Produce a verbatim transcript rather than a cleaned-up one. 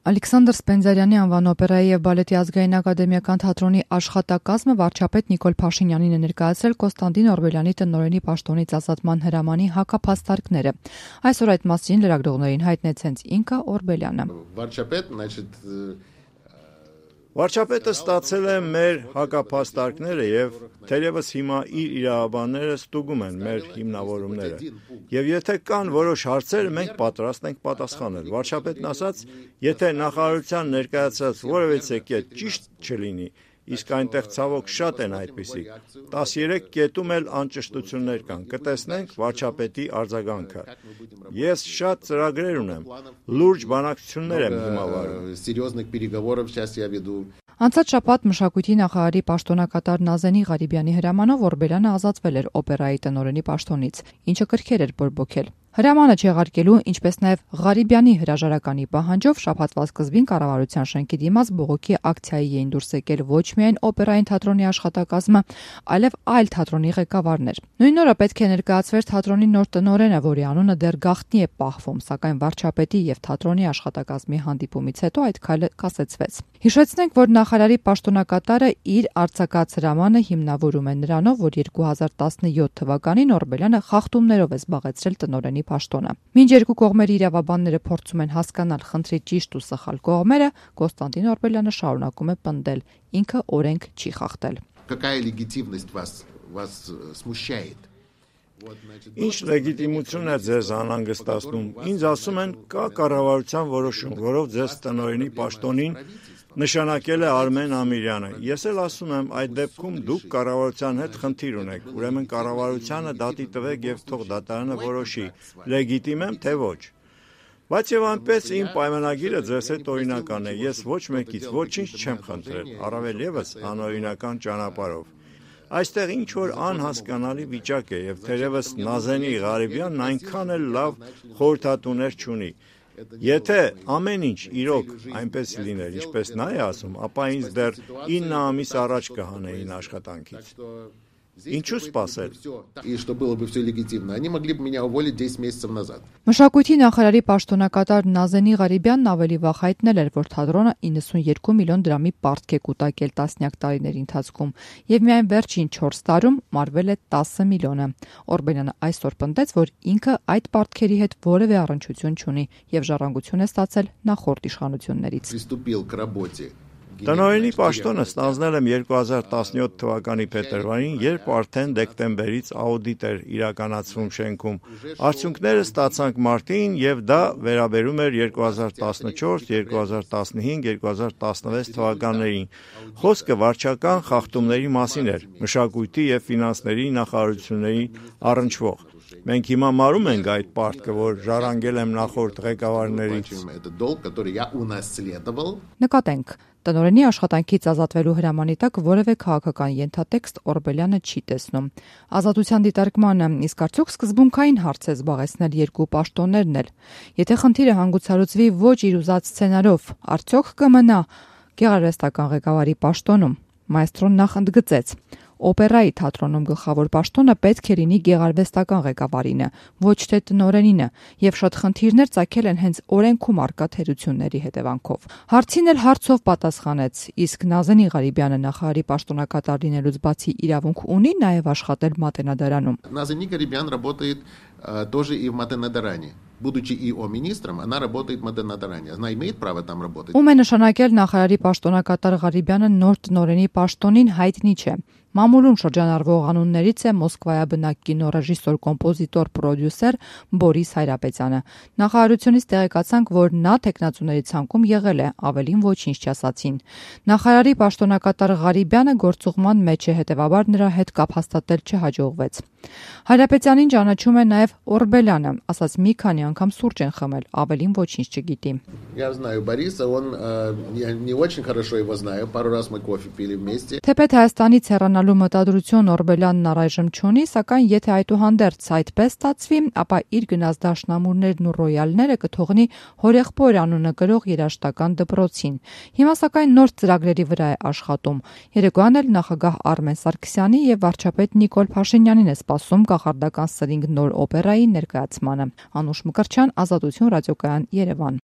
Ալեքսանդր Սպենդիարյանի անվան օպերայի և բալետի ազգային ակադեմիական թատրոնի աշխատակազմը վարչապետ Նիկոլ Փաշինյանին է ներկայացրել Կոստանդին Օրբելյանի տնօրենի պաշտոնից ազատման հրամանի հակափաստարկները։ Այսօր այդ մասին լրագրողներին հայտնեց հենց ինքը Օրբելյանը։ Վարչապետ, значит, Վարչապետը ստացել է մեր հակափաստարկները և թերևս հիմա իր իրավաբանները ստուգում են մեր հիմնավորումները։ Եվ եթե կան որոշ հարցեր, մենք պատրաստ ենք պատասխանել։ Վարչապետն ասաց, եթե նախարարության ներկայացած որևէ կետ ճիշտ չլինի, իսկ այնտեղ ցավոք շատ են այդպիսիք, տասներեք կետում էլ անճշտություններ կան, կտեսնենք վարչապետի արձագանքը։ Ես շատ ծրագրեր ունեմ, լուրջ բանակցություններ եմ հիմա վարում։ Անցած շաբաթ մշակույթի նախարարի պաշտոնակատար Նազենի Ղարիբյանի հրամանով Օրբելյանը ազատվել էր օպերայի տնօրենի պաշտոնից, ինչը կրքեր էր բորբոքել։ Հրամանը չեղարկելու, ինչպես նաև Ղարիբյանի հրաժարականի պահանջով շաբաթվա սկզբին կառավարության շենքի դիմաց բողոքի ակցիայի էին դուրս եկել ոչ միայն օպերային թատրոնի աշխատակազմը, այլև այլ թատրոնի ղեկավարներ։ Նույն օրը պետք է ներկայացվեր թատրոնի նոր տնօրենը, որի անունը դեռ գաղտնի է պահվում, սակայն վարչապետի եւ թատրոնի աշխատակազմի հանդիպումից հետո այդ քայլը կասեցվեց։ Հիշեցնենք, որ նախարարի պաշտոնակատարը իր արձակած հրամանը հիմնավորում է նրանով, որ երկու հազար տասնյոթ թվականին Օրբելյանը խախտումներով է զբաղեցրել տնօրենի պաշտոնը։ Մինչ երկու կողմերի իրավաբանները փորձում են հասկանալ խնդրի ճիշտ ու սխալ կողմերը, Կոստանդին Օրբելյանը շարունակում է պնդել, ինքը օրենք չի խախտել։ Ինչ լեգիտիմություն է ձեզ անհանգստացնում։ Ինձ ասում են, կա կառավարության որոշում, որով ձեզ տնօրենի պաշտոնին նշանակել է Արմեն Ամիրյանը։ Ես էլ ասում եմ, այդ դեպքում դուք կառավարության հետ խնդիր ունեք, ուրեմն կառավարությանը դատի տվեք եւ թող դատարանը որոշի, լեգիտիմ եմ թե ոչ։ Բայց եւ այնպես իմ պայմանագիրը ձեզ հետ օրինական է, ես ոչ մեկից ոչինչ չեմ խնդրել, առավել եւս անօրինական ճանապարհով։ Այստեղ ինչ որ անհասկանալի վիճակ է եւ թերևս Նազենի Ղարիբյանն այնքան էլ լավ խորհրդատուներ չունի։ Եթե ամեն ինչ իրոք այնպես լիներ, ինչպես նա է ասում, ապա ինձ դեռ ինը ամիս առաջ կհանեին աշխատանքից։ Ինչու սպասել։ Մշակույթի նախարարի պաշտոնակատար Նազենի Ղարիբյանն ավելի վաղ հայտնել էր, որ թատրոնը իննսունյոթ միլիոն դրամի պարտք է կուտակել տասնյակ տարիների ընթացքում եւ միայն վերջին չորս տարում մարվել է տասը միլիոնը։ Օրբելյանը այսօր պնդեց, որ ինքը այդ պարտքերի հետ որևէ առնչություն չունի եւ ժառանգություն է ստացել նախորդ իշխանություններից։ Տնօրենի պաշտոնը ստանձնել եմ երկու հազար տասնյոթ թվականի փետրվարին, երբ արդեն դեկտեմբերից աուդիտ էր իրականացվում շենքում։ Արդյունքները ստացանք մարտին եւ դա վերաբերում էր երկու հազար տասնչորս, երկու հազար տասնհինգ, երկու հազար տասնվեց թվականներին։ Խոսքը վարչական խախտումների մասին էր, մշակույթի եւ ֆինանսների նախարարությունների առնչվող։ Մենք հիմա մարում ենք այդ պարտքը, որ ժառանգել եմ նախորդ ղեկավարներից։ Նկատենք, տնօրենի աշխատանքից ազատվելու հրամանի տակ որևէ քաղաքական ենթատեքստ Օրբելյանը չի տեսնում։ Ազատության դիտարկմանը իսկ արդյոք սկզբունքային հարց է զբաղեցնել երկու պաշտոններն էլ։ Եթե խնդիրը հանգուցալուծվի ոչ իր ուզած սցենարով, արդյոք կմնա գեղարվեստական ղեկավարի պաշտոնում։ Մայստրոն նախ ընդգծեց. Օպերայի թատրոնում գլխավոր պաշտոնը պետք է լինի գեղարվեստական ղեկավարինը, ոչ թե տնօրենինը, եւ շատ խնդիրներ ծագել են հենց օրենքում առկա թերությունների հետևանքով։ Հարցին էլ հարցով պատասխանեց, իսկ Նազենի Ղարիբյանը նախարարի պաշտոնակատար լինելուց բացի իրավունք ունի նաեւ աշխատել Մատենադարանում։ Նազենի Ղարիբյան работает тоже и в Матенադարане. Будучи ИО министром, она работает в Матенադարане. Она имеет право там работать. Ում է նշանակել նախարարի պաշտոնակատար Ղարիբյանը նոր տնօրենի պաշտոնին հայտնի չէ։ Մամուլում շրջանառվող անուններից է Մոսկվայաբնակ կինոռեժիսոր, կոմպոզիտոր, պրոդյուսեր Բորիս Հայրապետյանը։ Նախարարությունից տեղեկացանք, որ նա տեխնացուների ցանկում եղել է, ավելին ոչինչ չասացին։ Նախարարի պաշտոնակատար Ղարիբյանը գործուղման մեջ է, հետևաբար նրա հետ կապ հաստատել չհաջողվեց։ Հայրապետյանին ճանաչում է նաև Օրբելյանը, ասաց մի քանի անգամ սուրճ են խմել, ավելին ոչինչ չգիտի։ Я знаю Бориса, он я не очень хорошо его знаю, пару раз мы кофе пили вместе. Թեպետ Հայաստանից հեռանալու մտադրություն Օրբելյանն առայժմ չունի, սակայն եթե այդուհանդերձ այդպես ստացվի, ապա իր գնաց դաշնամուրներն ու ռոյալները կթողնի հորեղբոր անունը կրող երաժշտական դպրոցին։ Հիմա սակայն նոր ծրագրերի վրա է աշխատում։ Երեկոյան էլ նախագահ Արմեն Սարգսյանի եւ վարչապետ Նիկոլ Փաշինյանին է սպասում կախարդական սրինգ նոր օպերայի ներկայացմանը։ Անուշ Մկրտչյան, Ազատություն ռադիոկայան, Երևան։